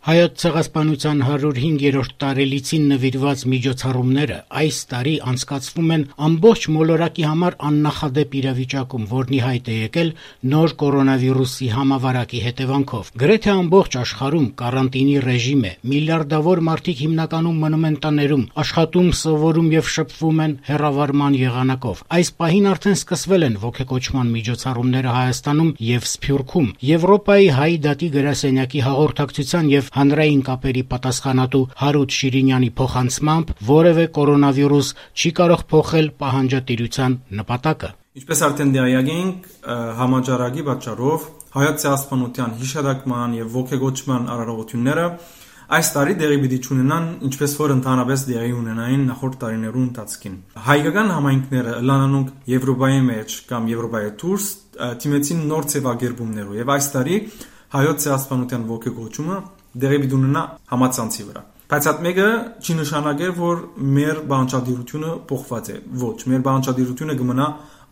Հայոց ցեղասպանության 105-րդ տարելիցին նվիրված միջոցառումները այս տարի անցկացվում են ամբողջ մոլորակի համար աննախադեպ իրավիճակում, որն ի հայտ է եկել նոր կորոնավիրուսի համավարակի հետևանքով։ Գրեթե ամբողջ աշխարհում կարանտինի ռեժիմ է, միլիարդավոր մարդիկ հիմնականում մնում են տներում, աշխատում, սովորում եւ շփվում են հեռավարման եղանակով։ Այս պահին արդեն սկսվել են ոգեկոչման միջոցառումները Հայաստանում եւ Սփյուռքում։ Եվրոպայի հայ դատի գրասենյակի հաղորդակցության եւ հանրային կապերի պատասխանատու Հարութ Շիրինյանի փոխանցմամբ որևէ կորոնավիրուս չի կարող փոխել պահանջատիրության նպատակը։ Ինչպես արդեն դիալոգ ենք, համաճարակի պատճառով հայոց ցեղասպանության հիշատակման եւ ոգեկոչման արարողությունները այս տարի դեղի պիտի ունենան, ինչպես որ ընդհանրապես դեղի ունենային նախորդ տարիներու ընթացքին։ Հայկական համայնքները լանանունք Եվրոպայի մեջ կամ Եվրոպայի դուրս թիմեցին նոր ձևակերպումներով եւ այս տարի հայոց ցեղասպանության ոգեկոչումը դեղի պիտի ունենա համացանցի վրա։ Բայց այդ մեկը չի նշանակել, որ մեր բանջարդիրությունը փոխված է։ Ոչ, մեր բանջարդիրությունը կմնա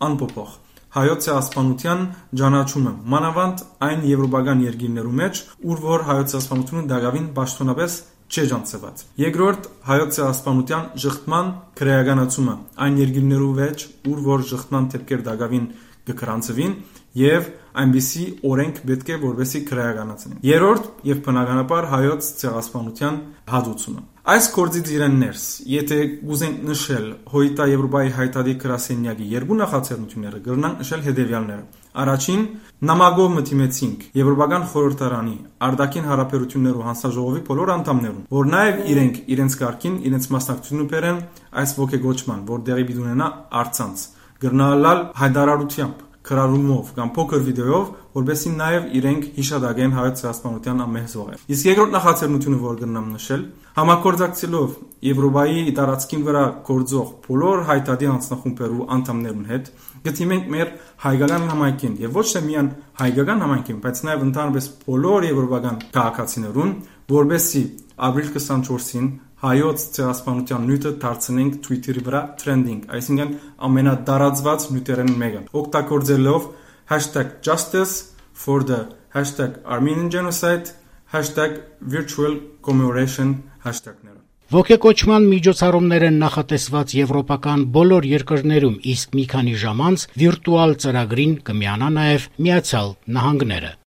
անփոփոխ։ Հայոց ցեղասպանության ճանաչումը մանավանդ այն եվրոպական երկրներու մեջ, ուր որ հայոց ցեղասպանությունը դակավին պաշտոնապես չէ ջանցված։ Երկրորդ հայոց ցեղասպանության շղթման քրեականացումը այն երկրներու մեջ, ուր որ շղթման դեպքեր դակավին կգրանցվին եւ այնպիսի օրենք պետք է որպեսի քրեականացնեն։ Երրորդ եւ բնականաբար հայոց ցեղասպանության հադուցումը։ Այս կորձից իրեն ներս, եթե գուզենք նշել հոյտա Եվրոպայի հայտարարի գրասենյակի երկու նախաձեռնությունները, կգրնանք նշել հետևյալները։ Առաջին, նամակով մտիմեցինք Եվրոպական խորհրդարանի արտաքին հարաբերություններու հանձնաժողովի բոլոր անդամներուն, որ նաեւ իրենք իրենց կարգին իրենց մասնակցությունը բերեն այս ոգեկոչման, որ դեղի պիտի ունենա առցանց, գրնալալ հայտարարությամբ քրարումով կամ փոքր վիդեոյով, որովհետեւ նաև իրենք հիշադակեն հայոց ցեղասպանության ամեն զոհը։ Իսկ երկրորդ նախաձեռնությունը, որ կնամ նշել, համագործակցելով Եվրոպայի տարածքին վրա գործող բոլոր հայտարարի անձնախումբերու անդամներուն հետ, գտիմենք մեր հայկական համայնքին եւ ոչ թե միայն հայկական համայնքին, բայց նաև ընդհանրապես բոլոր եվրոպական քաղաքացիներուն, որովհետեւ ապրիլ 24-ին հայոց ցեղասպանության նյութը դարձնենք Twitter-ի վրա trending, այսինքն ամենատարածված նյութերեն մեկը, օգտագործելով #justice for the #Armenian genocide, #virtual commemoration hashtag-ները։ Ոգեկոչման միջոցառումներ են նախատեսված եվրոպական բոլոր երկրներում, իսկ մի քանի ժամ անց վիրտուալ ծրագրին կմիանա նաև Միացյալ Նահանգները։